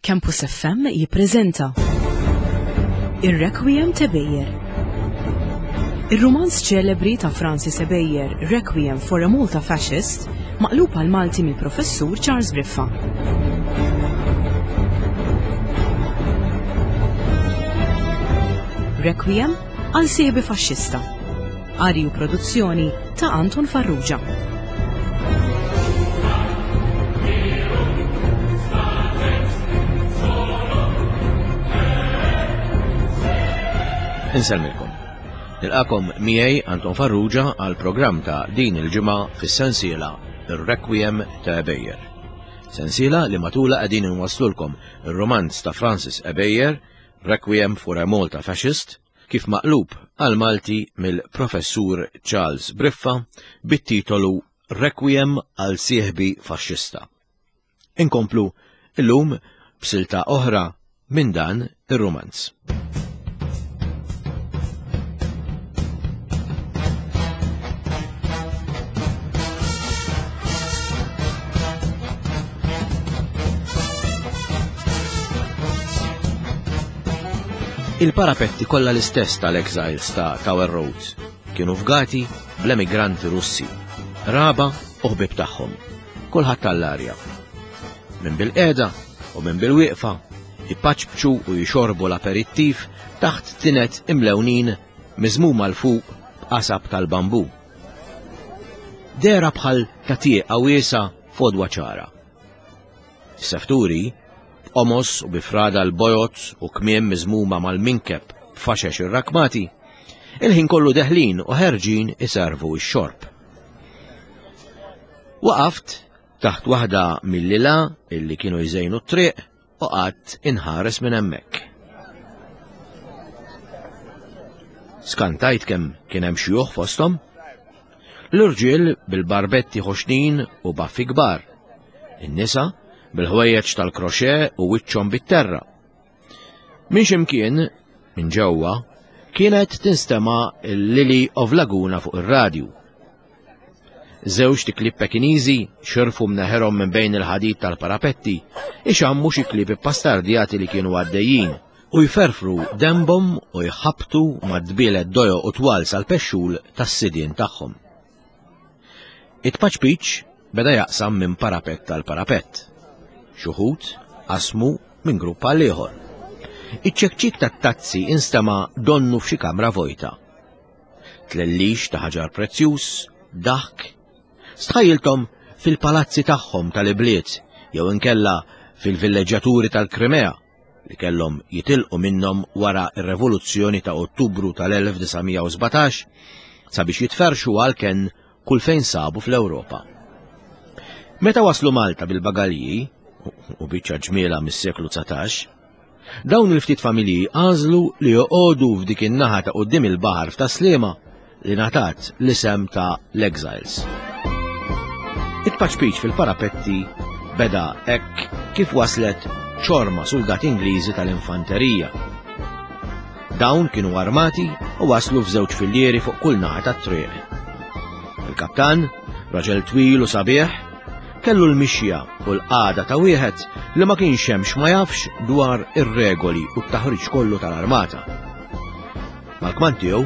Campus FM jippreżenta Ir-Requiem ta' Bejer. Ir-rumanz ċelebri ta' Francis Ebejer, Requiem for a Malta Fascist, maqlub għal Malti mill-Professur Charles Briffa. Requiem għal sieħbi faxxista. Qari u produzzjoni ta' Anton Farrugia. Insellmilkom. Nilqakom miegħi Anton Farrugia għal programm ta' din il-ġimgħa fis-sensiela Ir-Requiem ta' Ebejer. Sensiela li matula qegħdin inwasslulkom ir-romanz ta' Francis Ebejer, Requiem for a Malta Fascist, kif maqlub għall-Malti mill-Professur Charles Briffa bit-titolu Requiem għal sieħbi faxxista. Inkomplu illum b'silta oħra minn dan ir-rumanz. Il-parapetti kollha l-istess tal-exiles ta' Tower Roads kienu fgati bl-emigranti Russi, raba u ħbieb tagħhom, kulħadd għall-arja. Min bil-qiegħda u min bil-wieqfa ipaċpċu u jixorbu l-aperittiv taħt tinet imlewnin miżmuma 'l fuq b'qasab tal-bambu. Dehra bħal ta' tieqa wiesgħa f'għodwa ċara. Is-sefturi, b'qomos u bi frada l-bojod u kmiem miżmuma mal-minkeb b'faxex irrakkmati, il-ħin kollu deħlin u ħerġin iservu x-xorb. Waqaft taħt waħda mill-lila illi kienu jżejnu t-triq u qgħadt inħares minn hemmhekk. Skantajt kemm kien hemm xjuħ fosthom. L-irġiel bil-barbetti ħoxnin u baffi kbar. In-nisa bil-ħwejjeġ tal-kroxè u wiċċhom bit-terra. Minn ximkien, minn ġewwa, kienet tinstema' l-Lily of Laguna fuq ir-radju. Żewġt iklieb Pekiniżi xirfu mneħerhom minn bejn il-ħadid tal-parapetti, ixammu xi klieb ippastardjati li kienu għaddejjin, u jferfru denbhom u jħabbtu mad-dbielet dojoq u twal sal-pexxul tas-sidien tagħhom. It-tpaċpiċ beda jaqsam minn parapett għal parapett. X'uħud qasmu minn grupp għal ieħor. Iċ-ċekċik tat-tazzi instema' donnu f'xi kamra vojta. Tlellix ta' ħaġar prezzjuż, daħk. Stħajjilthom fil-palazzi tagħhom tal-ibliet jew inkella fil-villeġġjaturi tal-Krimea li kellhom jitilqu minnhom wara r-Revoluzzjoni ta' Ottubru tal-1917 sabiex jitferrxu għall-kenn kull fejn sabu fl-Ewropa. Meta waslu Malta bil-bagalji, u biċċa ġmiela mis-seklu 19, Dawn il-ftit familji għażlu li joqogħdu f'dik in-naħa ta' quddiem il-baħar f'Tas-Sliema li ngħatat l-isem ta' l-Exiles. It-tpaċpiċ fil-parapetti beda hekk kif waslet ċorma suldati Ingliżi tal-infanterija. Dawn kienu armati u waslu f'żewġ fillieri fuq kull naħa tat-triq. Il-kaptan, raġel twil u sabiħ, Kellu l-mixja u l-qagħda ta' wieħed li ma kienx hemm x'ma jafx dwar ir-regoli u t-taħriġ kollu tal-armata. Mal-kmand tiegħu,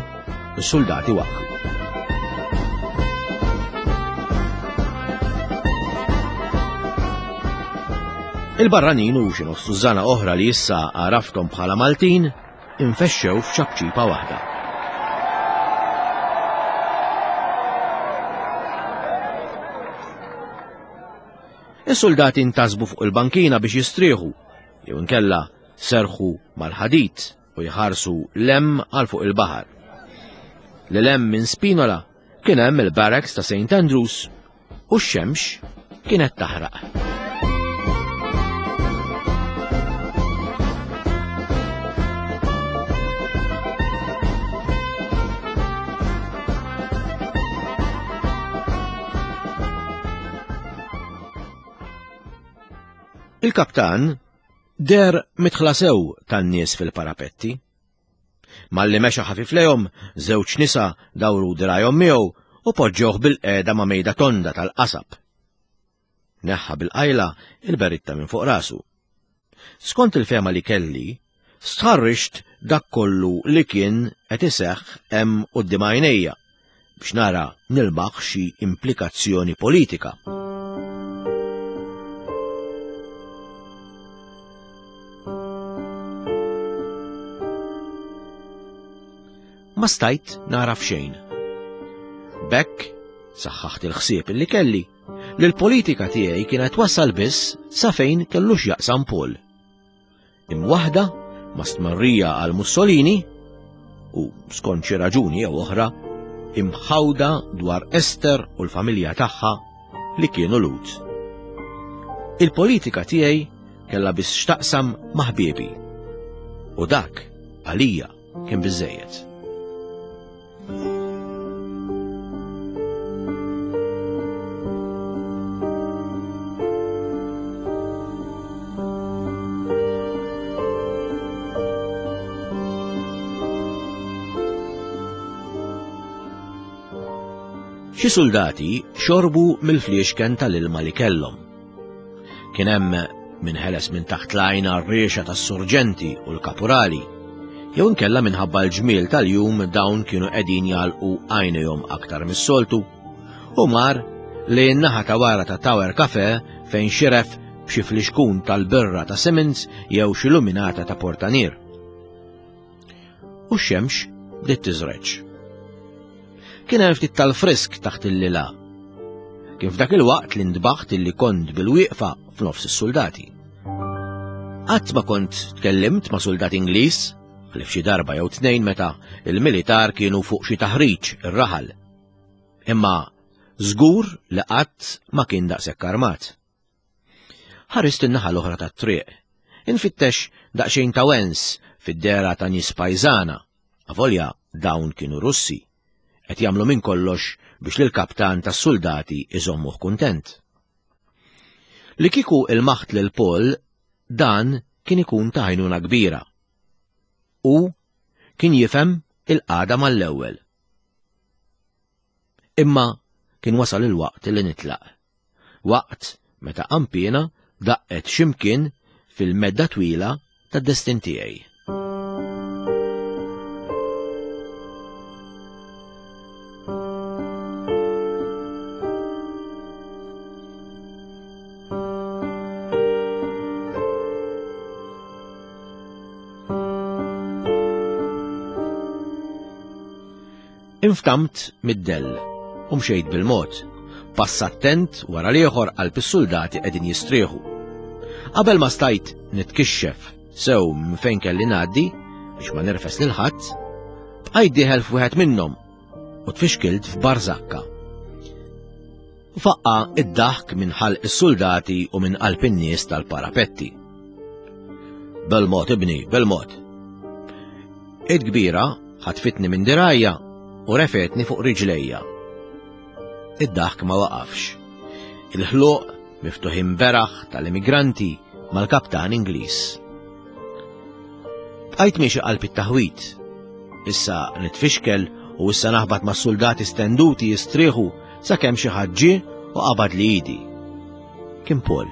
is-suldati waqfu. Il-barranin u xi nofs tużżana oħra li issa għarafthom bħala Maltin infexxew f'ċapċipa waħda. Is-suldati ntasbu fuq il-bankina biex jistrieħu, jew inkella serħu mal-ħadid u jħarsu lem għal fuq il-baħar. Lil hemm minn Spinola kien hemm il-barracks ta' St. Andrews u x-xemx kienet taħraq. Il-kaptan der mitħla sew tan-nies fil-parapetti. Malli mexa ħafif lejhom, żewġ nisa dawru dirgħajhom miegħu u poġġewh bilqiegħda ma' mejda tonda tal-qasab. Neħħa bil-qajla il-beritta minn fuq rasu. Skont il-fehma li kelli, stħarriġt dak kollu li kien qed iseħħ hemm quddiem għajnejja biex nara nilmaħ xi implikazzjoni politika. Ma stajt naraf xejn. B'hekk saħħaħt il-ħsieb li kelli li l-politika tiegħi kienet wasal biss sa fejn kellu x'jaqsam Paul. Imwaħda ma' stmerrija għal Mussolini u skont xi raġuni jew oħra imħawda dwar Ester u l-familja tagħha li kienu Lut. Il-politika tiegħi kellha biss x'taqsam ma' ħbiebi. U dak għalija kien biżejjed. Xi suldati xorbu mill-fliexken tal-ilma li kellhom. Kien hemm min ħeles minn taħt l-għajn għar-riexa tas-surġenti u l-kapurali, jew inkella minħabba l-ġmiel tal-jum dawn kienu qegħdin jagħlqu għajnejhom aktar mis-soltu, u mar li n-naħa ta' wara ta' Tower Cafe fejn xiref b'xi flixkun tal-birra ta' Simmons jew xi luminata ta' Portanier. U x-xemx bdiet tiżreġ. Kien hemm ftit tal-frisk taħt il-lila. Kien f'dak il-waqt li ndbaħt illi kont bil-wieqfa f'nofs is-suldati. Qatt ma kont tkellimt ma' suldat Ingliż, ħlief xi darba jew tnejn meta il-militar kienu fuq xi taħriġ ir-raħal. Imma żgur li qatt ma kien daqshekk armat. Ħarist in-naħa l-oħra tat-triq, infittex daqsxejn ta' wens fid-dehra ta' nies pajżana, avolja dawn kienu Russi, qed jagħmlu minn kollox biex lill-kaptan tas-suldati iżommuh kuntent. Li kieku ilmaħt lil Paul, dan kien ikun ta' għajnuna kbira. Hu kien jifhem il-qagħda mal-ewwel. Imma kien wasal il-waqt li nitlaq. Waqt meta qanpiena daqqet xi mkien fil-medda twila tad-destin tiegħi. Inftamt mid-dell u mxejt bil-mod, pass attent wara l-ieħor qalb is-suldati qegħdin jistrieħu. Qabel ma stajt nitkixxef sew minn fejn kelli ngħaddi biex ma nirfes lil ħadd, bqajt dieħel f'wieħed minnhom u tfixkilt f'barżakka. Faqqa id-daħk minn ħalq is-suldati u minn qalb in-nies tal-parapetti. Bil-mod ibni, bil-mod. Id kbira ħatfitni minn dirajja u refetni fuq riġlejja. Id-daħk ma waqafx. Il-ħluq miftuħin beraħ tal-immigranti mal-kaptan Ingliż. Bqajt miexi qalb it-taħwid. Issa nitfixkel u issa naħbat ma' soldati stenduti jistrieħu sakemm xi ħadd ġie u qabad li idi. Kien Paul.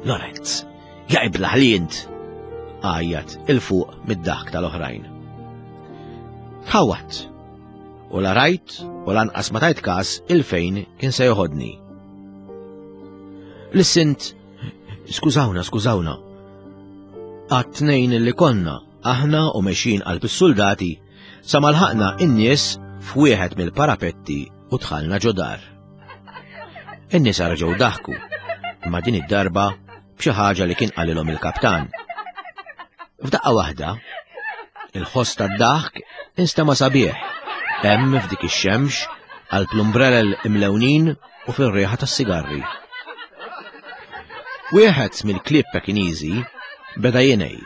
Lorenz, ja iblaħ li int! Għajjat il-fuq mid-daħk tal-oħrajn. Tħawat. U la rajt u lanqas ma tajt każ il-fejn kien se joħodni. Lissint, skużawna, skużawna. Għat-tnejn li konna, aħna u mexjin qalb is-suldati, sa ma lħaqna in-nies f'wieħed mill-parapetti u dħalna ġo dar. In-nisa reġgħu daħku, imma din id-darba b'xi ħaġa li kien qalilhom il-kaptan. F'daqqa waħda, il-ħoss tad-daħk instema' sabiħ, hemm f'dik ix-xemx għal plumbrelel imlewnin u fir-riħa tas-sigarri. Wieħed mill-klieb Pekiniżi beda jinej.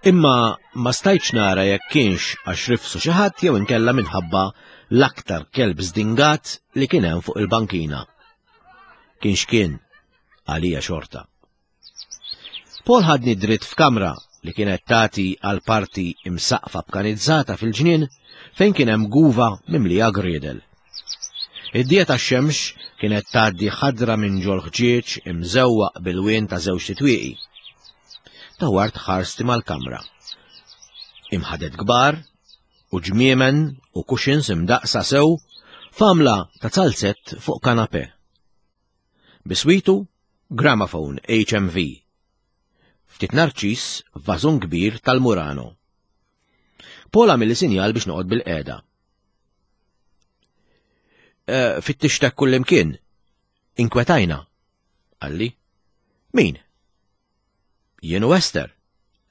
Imma ma stajtx nara jekk kienx għax rifsu xi ħadd jew inkella minħabba l-aktar kelb żdingat li kien hemm fuq il-bankina. Kien x'kien għalija xorta. Paul ħadni dritt f'kamra li kienet tagħti għal parti imsaqfa b'kanizzata fil-ġnien fejn kien hemm guva mimlija griedel. Id-dija tax-xemx kienet tgħaddi ħadra minn ġol ħġieġ imżewwaq bil-wien ta' żewġ titwieqi. Dawwart ħarsti mal-kamra. Imħadet kbar, u ġmiemen u cushions imdaqsa sew f'għamla ta' zalzett fuq kanape. Biswitu, gramophone HMV. Ftit narċis f'vażun kbir tal-Murano. Paul għamilli sinjal biex noqgħod bil-qiegħda. Eh, Fittixtek kullimkien. Inkwetajna. Qalli. Min? Jien u Esther.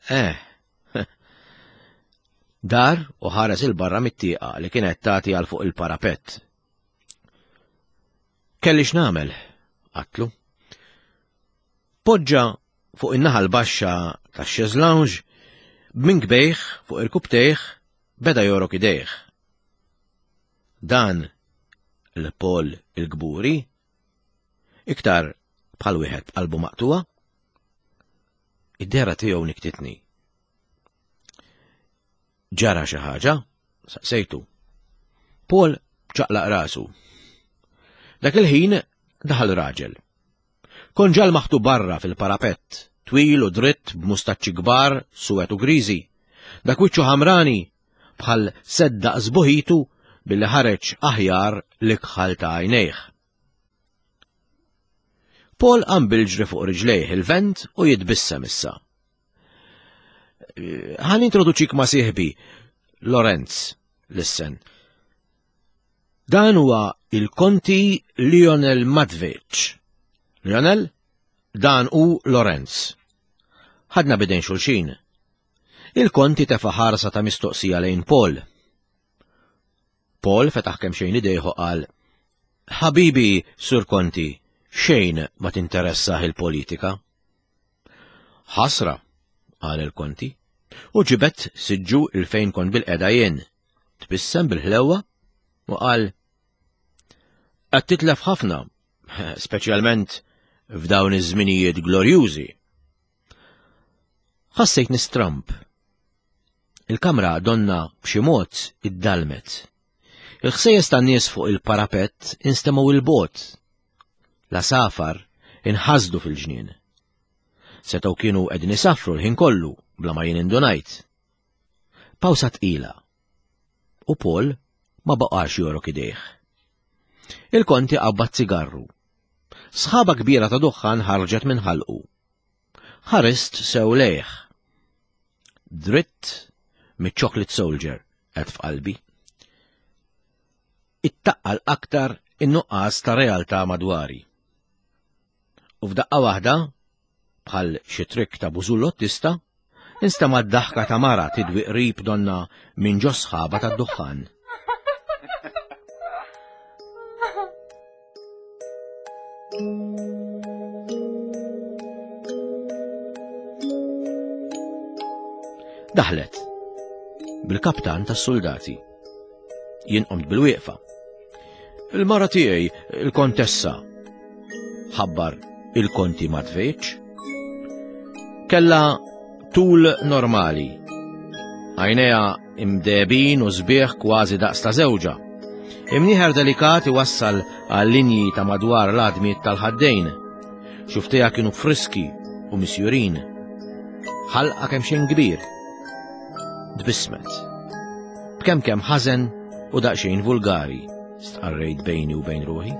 Eh. Dar u ħares il-barra mit-tieqa li kienet tagħti għal fuq il-parapett. Kelli x'nagħmel, għatlu. Poġġa fuq in-naħa l-baxxa tax-chaise lounge b'minkbejh fuq irkubtejh beda jorok idejh. Dan l-Paul il-kburi Iktar bħal wieħed b'qalbu maqtugħa. Id-dehra tiegħu niktitni. Ġara xi ħaġa? Saqsejtu. Paul ċaqlaq rasu. Dak il-ħin daħal raġel. Kon ġal maħtu barra fil-parapett, twil u dritt b'mustaċċi kbar, suwed u griżi. Dak wiċċu ħamrani bħal seddaq sbuħitu billi ħareġ aħjar l-ikħal ta' għajnejh. Paul qam bil-ġri fuq riġlejh il-vent u jitbissem issa. Ħan introduċik ma' sieħbi, Lorenz, lissen. Dan huwa il-Konti Lionel Matvich. Lionel, dan hu Lorenz. Ħadna bidejn xulxin. Il-Konti tefa' ħarsa ta' mistoqsija lejn Paul. Paul fetaħ kemxejn idejh u qal, Ħabibi, Sur Konti, xejn ma tinteressah il-politika. Ħasra, qal il-Konti, u ġibed siġġu 'l fejn kont bilqiegħda jien. Tbissem bil-ħlewwa u qal, Qed titlef ħafna, speċjalment f'dawn iż-żminijiet glorjużi. Ħassejtni stramb. Il-kamra donna b'xi mod iddalmet. Il-ħsejjes tan-nies fuq il-parapett instemgħu 'il bogħod. L-għasafar inħasdu fil-ġnien. Setgħu kienu qegħdin isaffru l-ħin kollu bla ma jien indunajt. Pawsa tqila. U Paul ma baqax jorok idejh. Il-konti qabbad sigarru. Sħaba kbira ta' duħħan ħarġet minn ħalqu. Ħarist sew lejh. Dritt miċ-Chocolate Soldier, għedt f'qalbi. Ittaqqal aktar in-nuqqas ta' realtà madwari. U f'daqqa waħda, bħal xi trikk ta' bużullottista, instemgħet daħka ta' mara tidwi qrib donna minn ġo sħaba tad-duħħan. Daħlet bil-kaptan tas-suldati. Jien qomt bil-wieqfa. Il-mara tiegħi, il-kontessa, ħabbar il-konti Matvejċ. Kella tul normali. Għajnejha imdehbin u sbieħ kważi daqs ta' żewġha. Imnieħer delikat iwassal għal linji ta' madwar l-għadmiet tal-ħaddejn. Xuftejha kienu friski u misjurin. Ħalqa kemm xejn kbir. Tbissmet. B'kemm kemm ħażen u daqsxejn vulgari, stqarrejt bejni u bejn ruħi.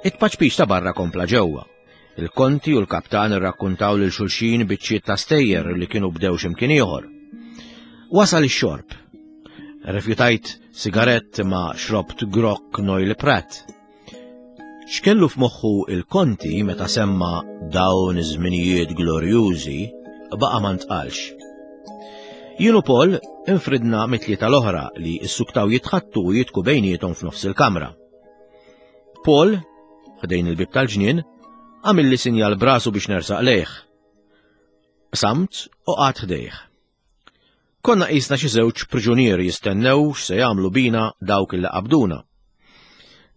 It-tpaċpiċ ta' barra kompla ġewwa. Il-konti u l-kaptan irrakkuntaw lil xulxin biċċiet ta' stejjer li kienu bdew x'imkien ieħor. Wasal ix-xorb. Rifjutajt sigarett ma xrobt grokk Noil Pratt. X'kellu f'moħħu il-Konti meta semma dawn iż-żminijiet glorjużi baqa' ma ntqalx. Jien u Paul infridna mit-tlieta l-oħra li ssuktaw jitħattu u jitku bejniethom f'nofs il-kamra. Paul ħdejn il-bieb tal-ġnien, għamilli sinjal brasu biex nersaq lejh. Samt u qgħadt ħdejh. Konna qisna xi żewġ priġunieri jistennew x'se jagħmlu bina dawk li qabduna.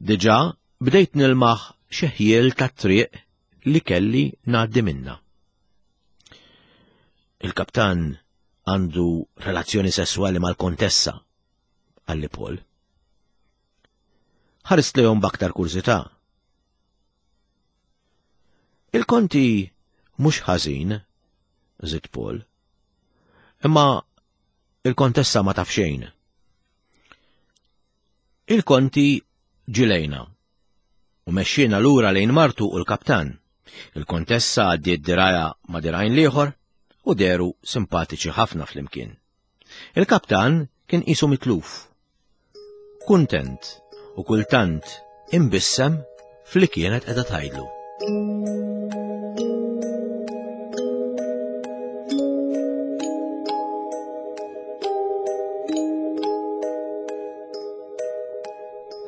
Diġà bdejt nilmaħ xi ħjiel tat-triq li kelli ngħaddi minna. Il-kaptan għandu relazzjoni sesswali mal-kontessa, għalli Paul. Ħarist lejhom b'aktar kurżità. Il-konti mhux ħażin, żied Paul. Imma il-kontessa ma taf xejn. Il-konti ġilejna u mexxiena lura lejn martu u l-kaptan. Il-kontessa għaddiet diraja ma' dirajn l-ieħor u deru simpatiċi ħafna flimkien. Il-kaptan kien qisu mitluf. Kuntent u kultant imbissem fli kienet qiegħda tgħidlu.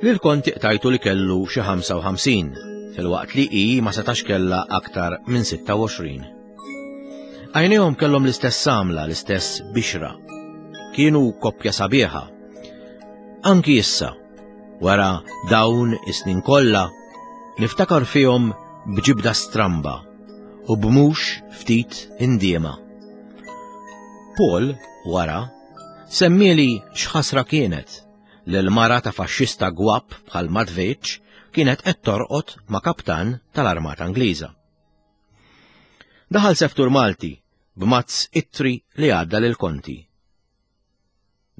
Lil konti qtajtu li kellu xi 55, filwaqt li hi ma setax kellha aktar minn 26. Għajnejhom kellhom l-istess għamla, l-istess bixra. Kienu koppja sabiħa. Anki issa, wara dawn is-snin kollha, niftakar fihom b'ġibda stramba u b'mhux ftit indiema. Paul, wara, semmieli x'ħasra kienet li l-mara ta' faxxista gwapp bħal Matvejċ kienet qed torqod ma' kaptan tal-Armata Ingliża. Daħal seftur Malti b'mazz ittri li għadda lil Konti.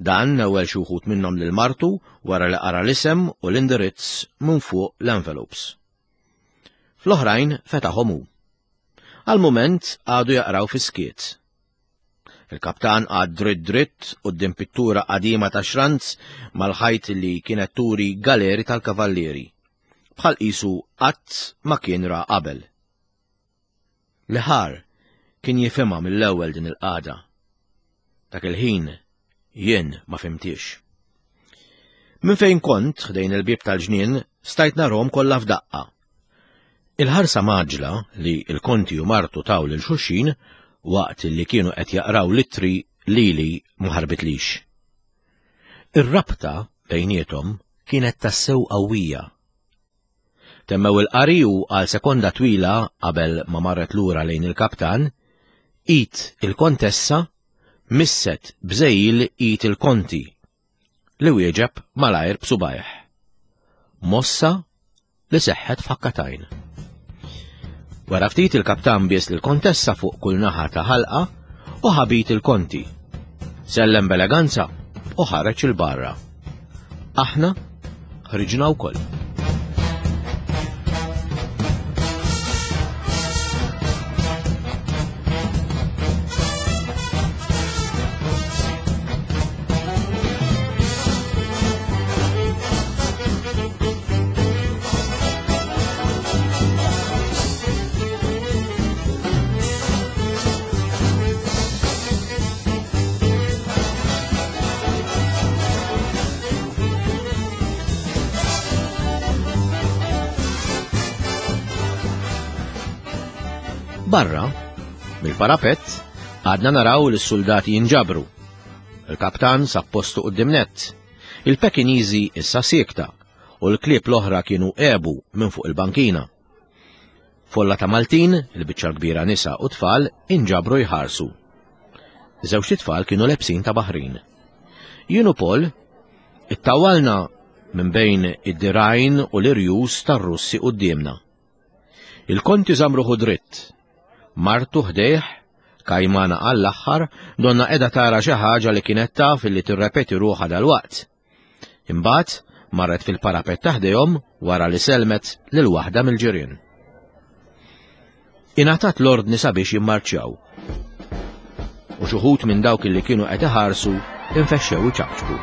Dan ewwel xi wħud minnhom lil martu wara li qara l-isem u l-indirizz minn fuq l-envelopes. Fl-oħrajn fetaħhom hu. Għal mument għadu jaqraw fis-skiet. Il-kaptan qagħad dritt dritt quddiem pittura qadima ta' Schranz mal-ħajt li kienet turi galeri tal-kavallieri. Bħal qisu qatt ma kien ra qabel. Li ħar kien jifhimha mill-ewwel din il-qagħda. Dak il-ħin jien ma fimtix. Minn fejn kont ħdejn il-bieb tal-ġnien stajt narhom kollha f'daqqa. Il-ħarsa mgħaġġla li l-Konti u martu taw lil xulxin waqt li kienu qed jaqraw l-ittri lili ma ħarbitlix. Ir-rabta bejniethom kienet tassew qawwija. Temmew il-qari u għal sekonda twila qabel ma marret lura lejn il-kaptan, id il-kontessa misset b'żegħil id il-konti li wieġeb malajr b'subajh. Mossa li seħħet f'ħakkatajn. Wara ftit il-kaptan bies lill-kontessa fuq kull naħa ta' ħalqa u ħabit il-konti. Sellem b'eleganza u ħareġ il-barra. Aħna ħriġna wkoll. Barra, mill-parapett, għadna naraw li s-soldati jinġabru. Il-kaptan sab postu quddiem nett. Il-Pekiniżi issa siekta u l-klieb l-oħra kienu għebu minn fuq il-bankina. Folla ta' Maltin, il-biċċa l-kbira nisa u tfal, inġabru jħarsu. Żewġt itfal kienu lebsin ta' baħrin. Jien u Paul ittawalna minn bejn id-dirgħajn u l-irjus tar-Russi quddiemna. Il-konti żamm ruħu dritt. Martu ħdejh, kajmana għall-aħħar, donna qiegħda tara xi ħaġa li kienet taf illi tirrepeti ruħha dalwaqt. Imbagħad marret fil-parapett ta' ħdejhom wara li sellmet lil waħda mill-ġirien. Ingħatat l-ordni sabiex jimmarċjaw. U xi wħud minn dawk li kienu qed iħarsu infexxew iċapċpu.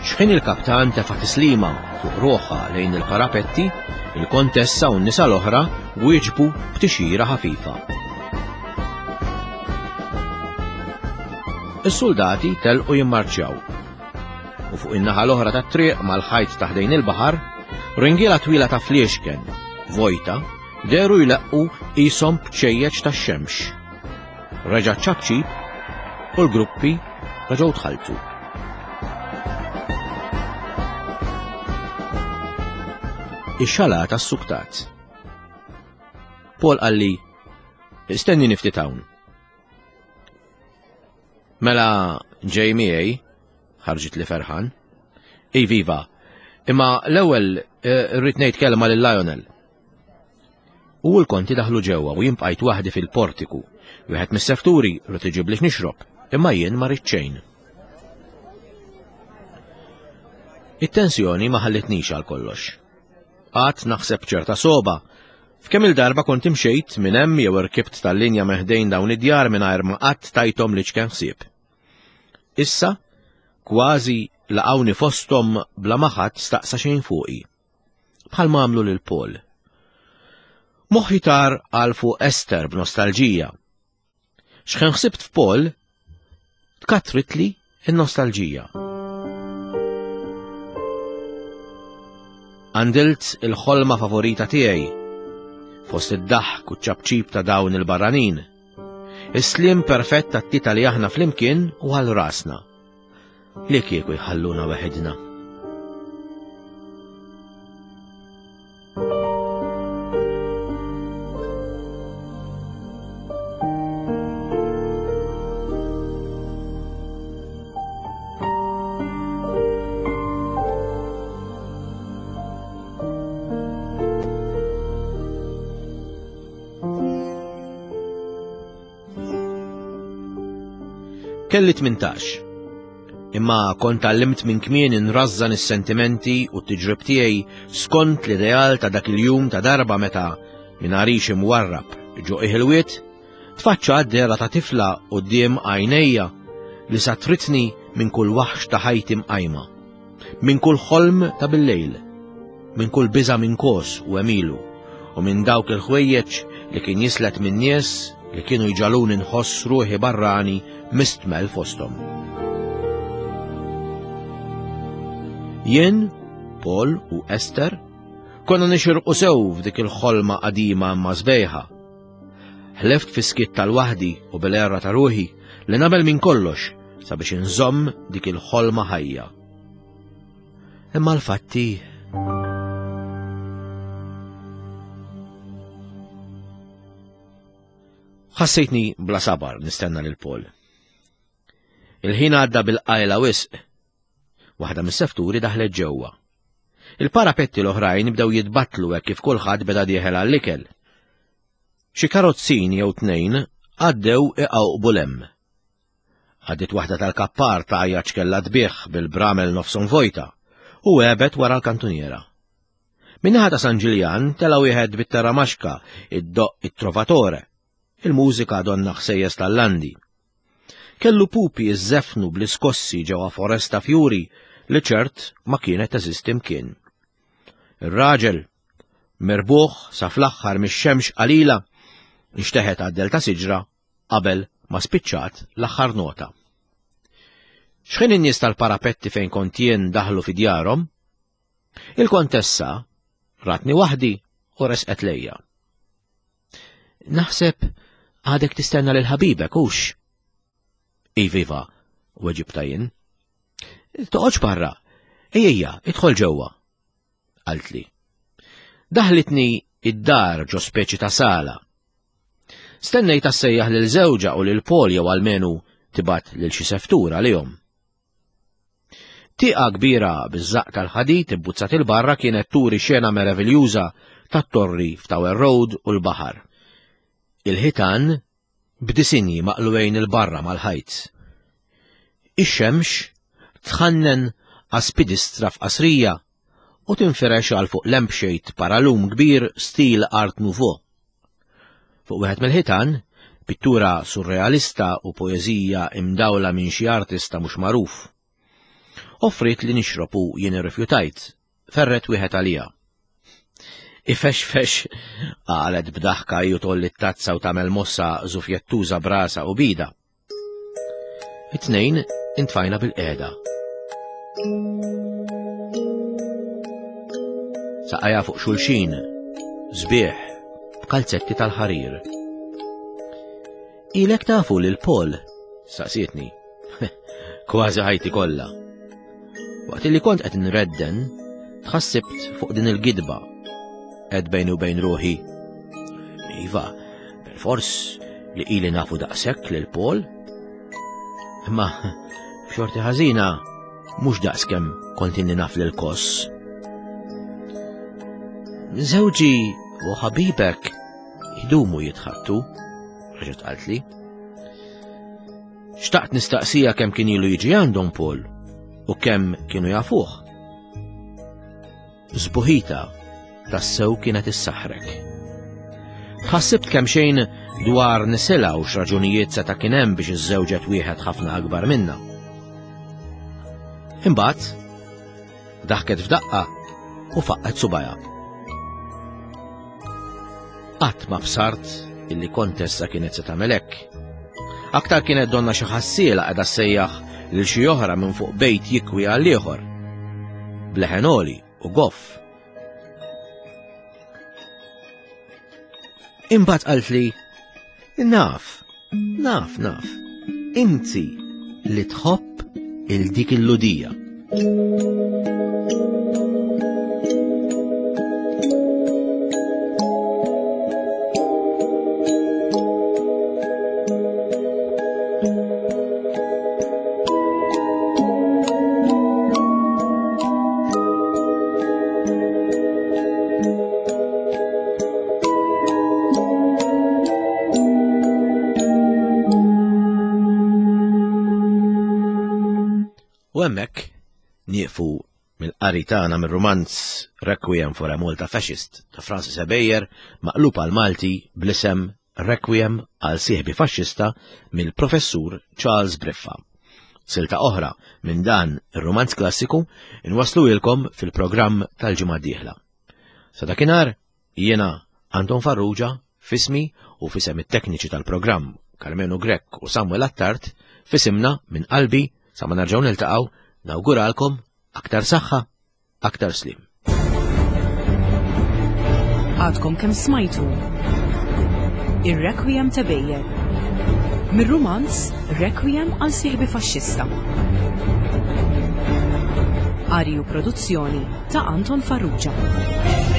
X'ħin il-kaptan tefa' tislima fuq ruħha lejn il-parapetti, il-kontessa u n-nisa l-oħra wieġbu b'tixjira ħafifa. Is-suldati telqu jimmarċjaw. U fuq in-naħa l-oħra tat-triq mal-ħajt ta' ħdejn il-baħar, ringiela twila ta' fliexken. vojta, dehru jleqqu qishom bċejjeċ tax-xemx. Reġa' ċapċip u l-gruppi reġgħu tħalltu. Ix-xalata ssuktat. Paul qalli, Stenni niftit hawn. Mela ġej miegħi, ħarġit li ferħan. Iviva, imma l-ewwel eh, rrid ngħid kelma lil Lionel. U l-konti daħlu ġewwa u jien bqajt waħdi fil-portiku. Wieħed mis-sefturi rrid iġibli x'nixrob, imma jien ma ridt xejn. It-tensjoni ma ħallitnix għal kollox. Qatt naħseb ċerta soba f'kemm il-darba kont imxejt minn hemm jew irkibt tal-linja minn ħdejn dawn id-djar mingħajr ma qatt tajthom li ċken ħsieb. Issa, kważi laqgħuni fosthom bla ma ħadd staqsa xejn fuqi. Bħal ma għamlu lil Paul. Moħħi tar għal fuq Ester b'nostalġija. X'ħin ħsibt f'Paul, tkatritli n-nostalġija. Għandilt il-ħolma favorita tiegħi fost id-daħk u ċ-ċapċip ta' dawn il-barranin. Is-slim perfett tat-tita li aħna flimkien u għal rasna. Li kieku jħalluna weħidna. Kelli 18. Imma kont għallimt minn kmien inrażżan is-sentimenti u t-tiġrib tiegħi skont l-ideal ta' dak il-jum ta' darba meta minn għarix imwarrab ġo iħilwiet, tfaċċa d-dehra ta' tifla quddiem għajnejja li satritni minn kull waħx ta' ħajti mqajma. Minn kull ħolm ta' billejl, minn kull biża' minn kos u għemilu, u minn dawk il-ħwejjeġ li kien jislet minn nies li kienu jġaluni nħoss ruħi barrani mistmel fosthom. Jien, Paul u Esther konna nixirqu sew f'dik il-ħolma qadima imma sbejħa. Ħleft fi skiet tal-waħdi u bil-għerra ta' ruħi li nagħmel minn kollox sabiex inżomm dik il-ħolma ħajja. Imma l-fatti Ħassejtni bla sabar nistenna lil Paul. Il-ħin għadda bil-qajla wisq. Waħda mis-sefturi daħlet ġewwa. Il-parapetti l-oħrajn bdew jitbattlu hekk kif kulħadd beda dieħel għall-ikel. Xi karozzin jew tnejn għaddew iqawqbu 'l hemm. Għaddiet waħda tal-kappar tgħajjat x'kellha tbigħ bil-bramel nofshom vojta u għebet wara l-kantuniera. Min-naħa ta' San Ġiljan tela' wieħed bit-terramaxka iddoqq it-Trovatore, il-mużika donnha ħsejjes tal-landi. Kellu pupi jiżżeffnu bl-iskossi ġewwa foresta fjuri li ċert ma kienet teżisti mkien. Ir-raġel, Mirbuħ sa fl-aħħar mix-xemx qalila, inxteħet għad-dell ta' siġra qabel ma spiċċat l-aħħar nota. X'ħin in-nies tal-parapetti fejn kont jien daħlu fi djarhom, il-kontessa ratni waħdi u resqet lejja. Naħseb għadek tistenna lil ħabibek hux? Iviva, weġibta jien. Toqgħodx barra. Ejja, idħol ġewwa. qaltli. Daħlitni id-dar ġo speċi ta' sala. Stennejt assejjaħ lil żewġa u lil Paul jew almenu tibgħat lil xi seftur għalihom. Tieqa kbira biż-żaqq tal-ħadid ibbuzzat il-barra kienet turi xena meraviljuża tat-torri f'Tower Road u l-baħar. Il-ħitan b'disinji maqlugħin 'il barra mal-ħajt. Ix-xemx tħannen aspidistra f'qasrija u tinfirex għal fuq lampshade paralum kbir stil Art Nouveau. Fuq wieħed mill-ħitan, pittura surrealista u poeżija imdawla minn xi artista mhux magħruf. Offriet li nixrob u jien irrifjutajt, ferret wieħed għalija. Ifexfex, qalet b'daħka hi u tgħolli t-tazza u tagħmel mossa żufjettuża b'rasha u b'idha. It-tnejn intfajna bil-qiegħda. Saqajja fuq xulxin. Sbieħ, b'kalzetti tal-ħarir. Ilek tafu lil Paul? Saqsietni. Kważi ħajti kollha. Waqt li kont qed nredden, tħassibt fuq din il-gidba. Qed bejni u bejn ruħi. Iva, bil-fors li ili nafu daqshekk lil Paul. Imma b'xorti ħażina mhux daqskemm kont inni naf lil Koss. Żewġi u ħabibek Idumu jitħattu, reġgħet qaltli. Xtaqt nistaqsija kemm kien ilu jiġi għandhom Paul u kemm kienu jafuh. Zbuħita tassew kienet issaħrek. Tħassibt kemm xejn dwar nisilha u x'raġunijiet seta' kien hemm biex iżżewġet wieħed ħafna akbar minna. Imbagħad Daħket f'daqqa u faqqgħet subajha. Qatt ma bsart illi kontessa kienet se tagħmel hekk. Aktar kienet donna xi ħassiela qiegħda ssejjaħ lil xi oħra minn fuq bejt jikwi għal ieħor. Bleħen għoli u goff. Imbagħad qaltli, Naf, naf, naf, inti li tħobb il dik il-ludija. U hemmhekk nieqfu mill-qari tagħna mir-rumanz Requiem for a Malta Fascist ta' Francis Ebejer maqlub għal Malti bl-isem Requiem għal sieħbi faxxista mill-Professur Charles Briffa. Silta oħra minn dan ir-rumanz klassiku inwassluhielkom fil-programm tal-ġimgħa d-dieħla. Sa dakinhar, jiena Anton Farrugia, f'ismi u f'isem it-tekniċi tal-programm Karmenu Grech u Samuel Attard, f'isimna minn qalbi sa ma nerġgħu niltaqgħu nawguralkom aktar saħħa aktar sliem. Għadkom kemm smajtu Ir-Requiem ta' Beyer. Mir-rumanz Requiem għal sieħbi faxxista. Qari u produzzjoni ta' Anton Farrugia.